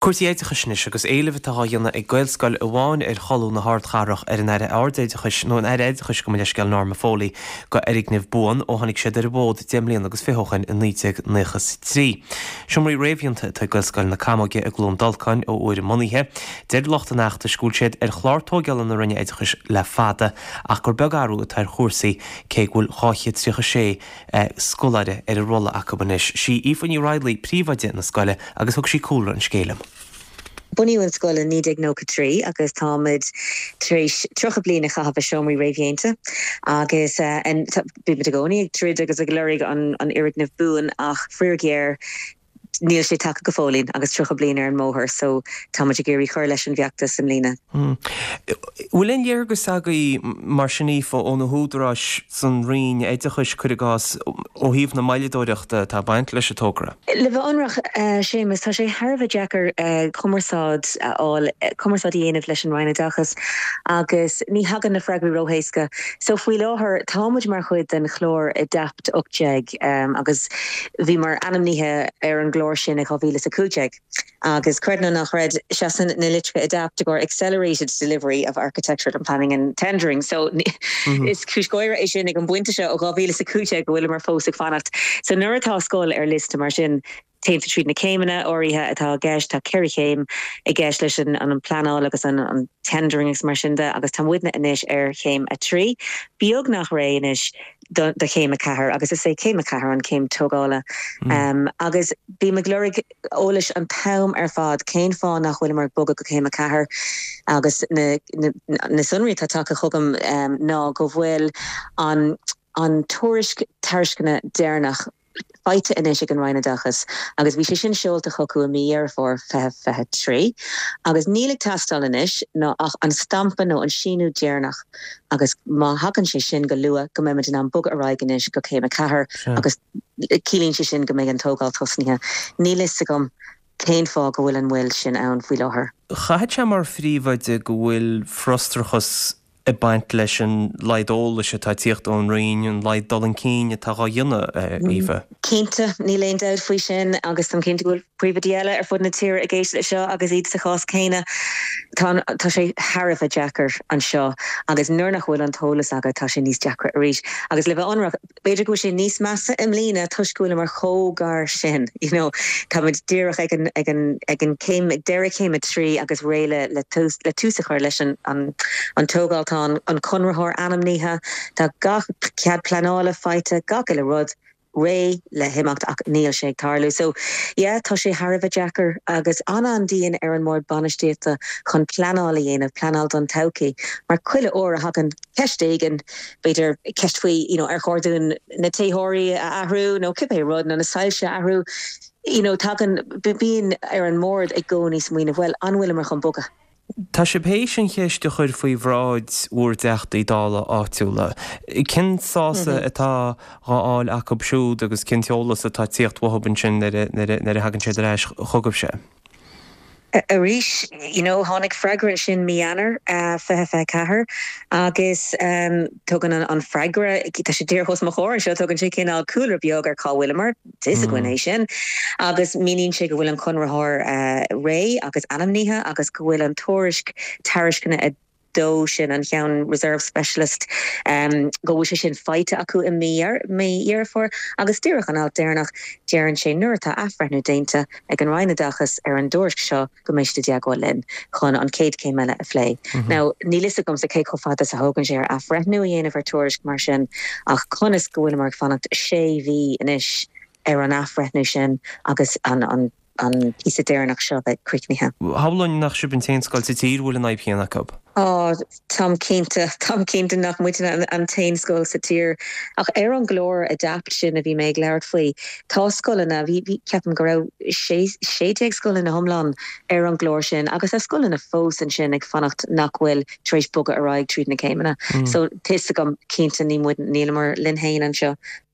Cúrsaí oideachais anois agus éileamh atá á dhéanamh ag Gaelscoil amháin ar cholún na hardchathrach ar an Aire Ardoideachais, nó an Aire Oideachais gabh mo leithscéal, Norma Foley, go fhoirgneamh buan ó tháinig siad ar an bhfód 10 mbliana agus 20 ó shin i 1993. Seomraí réamhdhéanta atá ag Gaelscoil na Camóige i gCluain Dolcáin ó uair a mbunaithe. Deir lucht an fheachtais go bhfuil siad ar chlár tóigeála na Roinne Oideachais le fada ach gur beag athrú atá ar chúrsaí cé go bhfuil 236 scoláire ar an rolla acu anois. Sí Aoife Ní Raghallaigh príomhoide na scoile agus thug sí cúlra an scéil liom. Bunaíodh an scoil i 1993 agus táimid tar éis 30 bliain a chaitheamh i seomraí réamhdhéanta agus bímid i gcónaí ag troid agus ag lorg an fhoirgneamh buan ach faraor géar níl sé tagtha go fóillín agus 30 bliain ar an mbóthar so táimid ag iarraidh cur leis an bhfeachtas i mbliana. Bhfuil aon léargas agaibh mar sin Aoife ó na húdaráis san Roinn Oideachais, cuir i gcás, ó thaobh na moilleadóireachta atá ag baint leis an togra? Le bheith ionraic, Séamus, tá sé thar a bheith deacair cumarsáid a fháil, cumarsáid a dhéanamh leis an Roinn Oideachais agus ní thagann na freagraí ró-héasca. So faoi láthair táimid mar chuid den chlár Adapt 18 agus Bhíomar ainmnithe ar an gclár sin i 2015 agus, creid nó ná creid, seasann na litreacha Adapt i gcomhair Accelerated Delivery of Architectural and Planning and Tendering. So, is cúis gháire é sin ag an bpointe seo ó 2015 go bhfuileamar fós ag fanacht. So, nuair atá scoil ar liosta mar sin, téann tú tríd na céimeanna áirithe atá i gceist, tá 4 chéim i gceist leis an bpleanáil agus an tendering agus mar sin de agus tá muidne anois ar chéim 3, beagnach réidh anois. do chéim 4 agus is é céim 4 an chéim tógála. Agus bím ag lorg eolais an t-am ar fad cén fáth nach bhfuileamar ag bogadh go céim 4 agus na na sonraí atá tagtha chugam ná go bhfuil an an tuairisc tairisceana deireanach faighte anois ag an Roinn Oideachais agus bhí sé sin seolta chucu i mí Dheireadh Fómhair 2023 agus níl ag teastáil anois ná ach an stampa nó an síniú deireanach agus má thagann sé sin go luath go mbeimid in ann bogadh ar aghaidh anois go céim 4 agus ciallaíonn sé sin go mbeidh an tógáil tosnaithe. Níl fhios agam cén fáth go bhfuil an mhoill sin ann faoi láthair. Chaithfeadh sé mar phríomhoide go bhfuil frustrachas ag baint leis an laghad eolais atá ag tíocht ón Roinn, an laghad dul chun cinn atá dhá dhéanamh, Aoife. Cinnte, níl aon dabht faoi sin agus táim cinnte go bhfuil príomhoidí eile ar fud na tíre ag éisteacht leis seo agus iad sa chás céanna. Tá, tá sé thar a bheith deacair anseo agus nuair nach bhfuil an t-eolas agat tá sé níos deacra arís. Agus le bheith ionraic, B'fhéidir go bhfuil sé níos measa i mbliana toisc go bhfuileamar chomh gar sin, you know. Táimid díreach ag an, ag an, ag an céim, ag deireadh céim 3 agus réidh le, le tús, le tús a chur leis an, an, an tógáil. Tá an, an conraitheoir ainmnithe, tá gach cead pleanála faighte, gach uile rud réidh le himeacht ach níl sé ag tarlú. So, yeah, tá sé thar a bheith deacair agus an-an-dian ar an mbord bainistíochta chun pleanáil a dhéanamh, pleanáil don todhchaí mar chuile uair a thagann ceist éigin, b'fhéidir ceist faoi you know ar chóir dúinn na téitheoirí a athrú nó cibé rud nó na soilse a athrú, you know tagann, bíonn ar an mbord i gcónaí smaoineamh bhuel an bhfuileamar chun bogadh? Tá sibh théis an cheist a chur faoi bhráid bhur dTeachtaí Dála áitiúla. Cén sásamh atá dhá fháil acu siúd agus cén t-eolas atá ag tíocht uathu ansin nuair a thagann siad ar ais chugaibhse? Arís, you know, tháinig freagra ansin mí Eanáir 2024 agus tugann an freagra, tá sé díreach os mo chomhair anseo, tugann sé cineál cúlra beag ar cá bhfuileamar, tá fhios againn é sin, agus míníonn sé go bhfuil an conraitheoir réidh agus ainmnithe agus go bhfuil an tuairisc tairisceana 2 sin, an ceann Reserve Specialist, go bhfuil sé sin faighte acu i mí Dheireadh Fómhair agus díreach an alt deireanach, deireann sé nuair atá athbhreithniú déanta ag an Roinn Oideachais ar an dtuairisc seo go mbeidh siad i dteagmháil linn chun an chéad chéim eile a phlé. Now, níl fhios agamsa cé chomh fada is a thógann sé ar athbhreithniú a dhéanamh ar tuairisc mar sin ach conas go bhfuileamar ag fanacht sé mhí anois ar an athbhreithniú sin agus an an píosa deireanach seo bheith críochnaithe. Shamhlóinn nach sibh an t-aon scoil sa tír a bhfuil an fhadhb chéanna acu. Á, táim cinnte, táim cinnte nach muidne an t-aon scoil sa tír. Ach ar an gclár Adapt sin a bhí mé ag labhairt faoi, tá scoileanna, bhí, bhí, ceapaim go raibh 16 scoil ina hiomlán ar an gclár sin agus tá scoileanna fós ansin ag fanacht nach bhfuil tar éis bogadh ar aghaidh tríd na céimeanna. So, tá fhios agam, cinnte, ní muid, níleamar linn féin anseo.